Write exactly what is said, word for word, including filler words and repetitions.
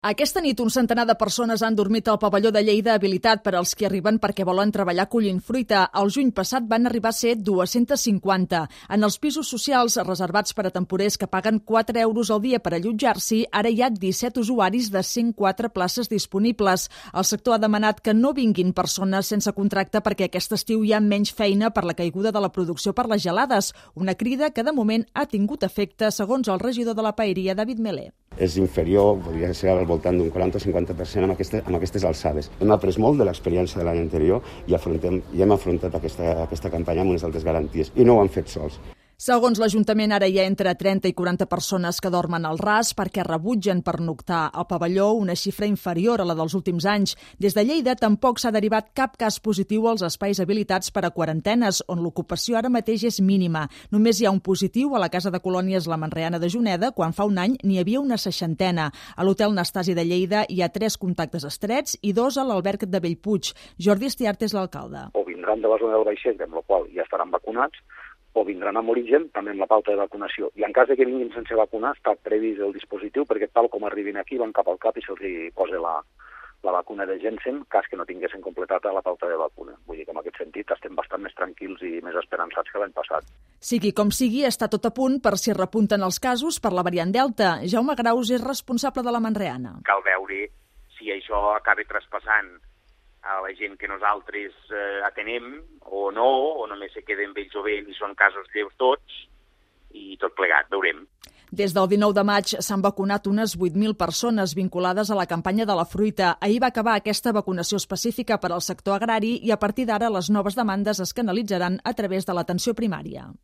Aquesta nit un centenar de persones han dormit al pavelló de Lleida habilitat per als que arriben perquè volen treballar collint fruita. El juny passat van arribar a ser dues-centes cinquanta. En els pisos socials reservats per a temporers que paguen quatre euros al dia per allotjar-s'hi, ara hi ha disset usuaris de cent quatre places disponibles. El sector ha demanat que no vinguin persones sense contracte perquè aquest estiu hi ha menys feina per la caiguda de la producció per les gelades. Una crida que de moment ha tingut efecte, segons el regidor de la paeria, David Melé. És inferior, podria ser al voltant d'un quaranta o cinquanta per cent amb, aquestes, amb aquestes alçades. Hem après molt de l'experiència de l'any anterior i, afrontem, i hem afrontat aquesta, aquesta campanya amb unes altres garanties i no ho han fet sols. Segons l'Ajuntament, ara hi ha entre trenta i quaranta persones que dormen al ras perquè rebutgen pernoctar al pavelló, una xifra inferior a la dels últims anys. Des de Lleida tampoc s'ha derivat cap cas positiu als espais habilitats per a quarantenes, on l'ocupació ara mateix és mínima. Només hi ha un positiu a la Casa de Colònies La Manreana de Juneda, quan fa un any n'hi havia una seixantena. A l'Hotel Nastasi de Lleida hi ha tres contactes estrets i dos a l'Alberg de Bellpuig. Jordi Estiart és l'alcalde. O vindran de la zona del Baixet, amb la qual ja estaran vacunats, o vindran amb origen, també amb la pauta de vacunació. I en cas de que vinguin sense vacunar, està previst el dispositiu perquè tal com arribin aquí van cap al cap i se'ls posa la, la vacuna de Janssen, cas que no tinguessin completat la pauta de vacuna. Vull dir que en aquest sentit estem bastant més tranquils i més esperançats que l'any passat. Sigui com sigui, està tot a punt per si repunten els casos per la variant Delta. Jaume Graus és responsable de la Manreana. Cal veure si això acaba traspassant a la gent que nosaltres eh, atenem o no, o només se queden vells o vells i són casos lleus tots, i tot plegat, veurem. Des del dinou de maig s'han vacunat unes vuit mil persones vinculades a la campanya de la fruita. Ahir va acabar aquesta vacunació específica per al sector agrari i a partir d'ara les noves demandes es canalitzaran a través de l'atenció primària.